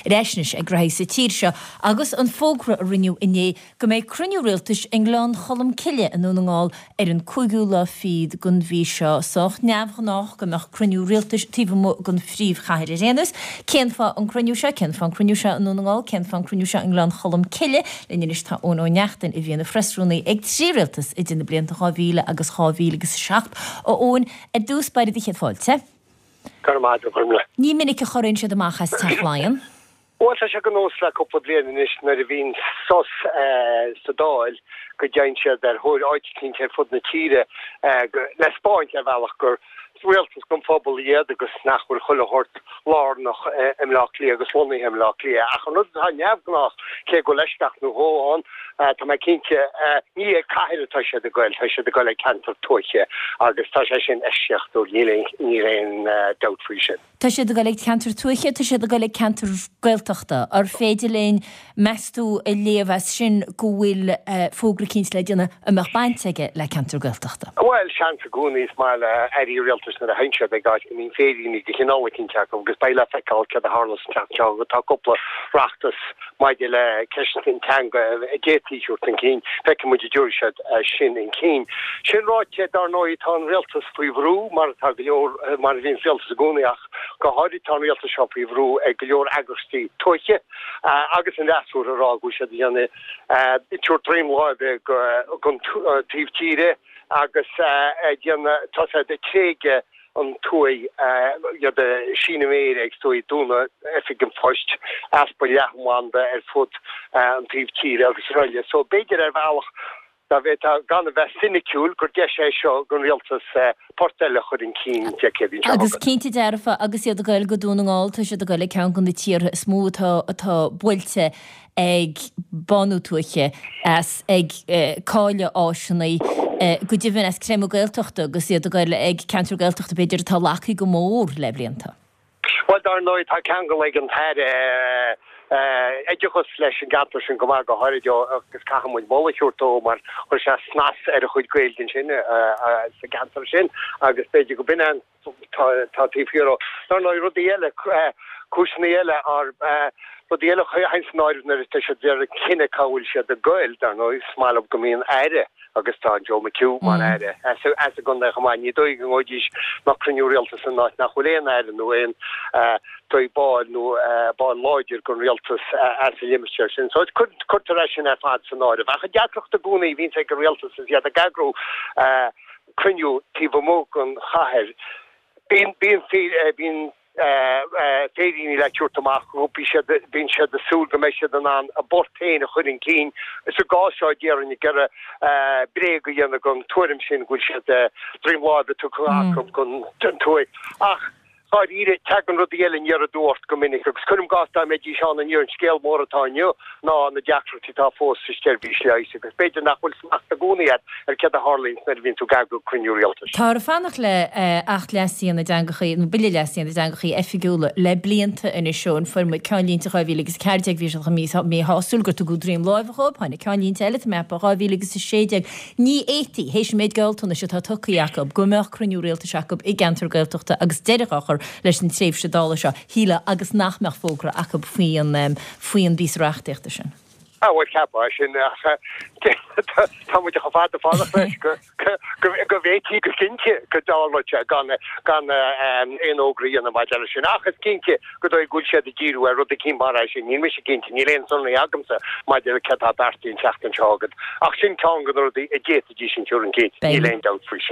Ar ais anois ag reathaí sa tír seo agus an fógra a rinneadh inné go mbeidh cruinniú rialtais i nGleann Cholm Cille i nDún na nGall ar an cúigiú lá fichead den mhí seo. Sách neamhghnách go mbeadh cruinniú rialtais taobh amuigh den phríomhchathair ar aon nós. Cén fáth an cruinniú seo? Cén fáth an cruinniú seo i nDún na nGall? Cén fáth an cruinniú seo i nGleann Cholm Cille? Linn anois tá Eoin Ó Neachtain a bhí ina phreasrúnaí ag trí rialtas idir na blianta 2000 agus 2007. A Eoin, ar dtús báire do chéad fáilte. Go raibh maith agat, a Ghormfhlaith. Ní minic a chorraíonn siad amach as Teach Laighean. Bhuel, tá sé de nós le cúpla bliain anois nuair a bhíonn sos sa Dáil go dtéann siad ar thóir áit eicínt ar fud na tíre le 'spáint ar bhealach gur rialtas don phobal iad agus nach bhfuil chuile shórt lárnach i mBleá Cliath agus lonnaithe i mBleá Cliath. Ach an rud atá neamhghnách, cé go bhfuil eisceacht nó dhó ann, tá mé cinnte, ní ag cathair atá siad ag goil, tá siad ag goil ag ceantar tuaithe agus tá sé sin eisceachtúil, níl aon dabht faoi sin. Tá siad ag dul ag ceantar tuaithe, tá siad ag dul ag ceantar Gaeltachta. Ar féidir linn, meas tú, a léamh as sin go bhfuil fógra eicínt le déanamh a mbeadh baint aige le ceantar Gaeltachta? Bhuel, seans i gcónaí. Is maith le airí rialtais nuair a théann siad ag áit go mbíonn féiríní de chineál eicínt acu agus beidh le feiceáil céard a tharlós an tseachtain seo. Tá cúpla reachtas maidir le ceist an teanga a d'fhéadfaí a thabhairt chun cinn. Feicfidh muid an dtabharfaidh siad sin chun cinn. Sin ráite, dar ndóigh, tá an rialtas faoi bhrú, mar atá go leor, mar a bhíonn rialtas i gcónaí ach go háirid tá an rialtas seo faoi bhrú ag go leor eagraíochtaí tuaithe agus an fhreasúra ag rá go bhfuil siad ag déanamh, ag tabhairt droim láimhe don taobh tíre agus ag déanamh, tá siad ag tréigeadh an tuaith, iad ag síneadh méire ag dóigh, dúnadh oifig an phoist, easpa leathanbhanda ar fud an taobh tíre agus araile. So b'fhéidir ar bhealach, dá bhféadfá gan a bheith soiniciúil, gur deis é seo don rialtas port eile a chur chun cinn Dé Céadaoin seo Agus chugainn. cinnte dearfa, agus iad ag goil go Dún na nGall, tá siad ag goil ag ceann de na tíortha is mó atá atá buailte ag bánú tuaithe, as ag cailleadh áiseanna, go deimhin as creimeadh Gaeltachta agus iad ag goil ag ceantar Gaeltachta b'fhéidir atá lagtha go mór le blianta. Bhuel, dar ndóigh, tá ceangal ag an tAire Oideachais leis an gceantar sin go maith, go háirid ó agus caithfidh muid moladh a thabhairt dó mar chuir sé snas ar a chuid Gaeilge ansin sa gceantar sin agus b'fhéidir go b'in é an tá taobh thiar dó. Dar ndóigh, rudaí eile, cúiseanna eile, rudaí eile a théann san áireamh nuair atá siad ag déanamh cinneadh cá bhfuil siad ag goil, dar ndóigh, is maith leo go mbíonn aire agus tá Joe McHugh mar aire as an gcontae chomh maith. Ní dóigh go ngabhfaidís ná cruinniú rialtais in áit nach bhfuil aon aire nó aon dóigh ball nó ball láidir den rialtas as an limistéar sin. So cuirtear é sin ar fad san áireamh. Ach an deacracht i gcónaí a bhíonns ag an rialtas is iad ag eagrú cruinniú taobh amuigh den chathair. Bíonn, bíonn, bíonn féiríní le tabhairt amach, bíonn siad, bíonn siad ag súil go mbeidh siad in ann a bport féin a chur chun cinn. Sa gcás seo, déarfainn, ag iarraidh bréag a dhéanamh den tuairim sin go bhfuil siad droim láimhe tugtha acu don tuaith. Ach. Dáiríre, tagann rudaí eile aniar aduaidh ort go minic agus cuirim i gcás dá mbeidís ann inniu, an scéal mór atá inniu ná na deacrachtaí atá fós sa tseirbhís leighis agus b'fhéidir nach bhfuil smacht i gcónaí agat ar céard a tharlaíonns nuair a bhíonn tú ag eagrú cruinniú rialtais. Táthar ag fanacht le Acht Leasaithe na dTeangacha, nó Bille Leasaithe na dTeangacha Oifigiúla le blianta anois ó an fuair muid ceannlínte 2014 bhí siad chomh míshásúil gur tugadh droim láimhe dhóibh, tháinig ceannlínte eile tá mé ag ceapadh 2016. Ní fhéadfaí, théis an méid gealltanais atá tugtha acu, go mbeadh cruinniú rialtais acu i gceantar Gaeltachta agus deireadh á chur leis an tréimhse Dála seo, shílfeá, agus nach mbeadh fógra acu faoi an faoi an bpíosa reachtaíochta sin. Ah, bhuel, cheapfá é sin, ach tá muid chomh fada fanacht leis go go bhféadfaí go cinnte go dtarlódh sé gan gan aon fhógra a dhéanamh maidir leis sin. Ach is cinnte go dóigh go bhfuil siad ag díriú ar rud eicínt mar é sin. Níl mise cinnte, níl aon sonraí agamsa maidir le céard atá beartaithe an tseachtain seo chugainn. Ach sin ceann de na rudaí a d'fhéadfaidís a chur chun cinn, níl aon dabht faoi sin.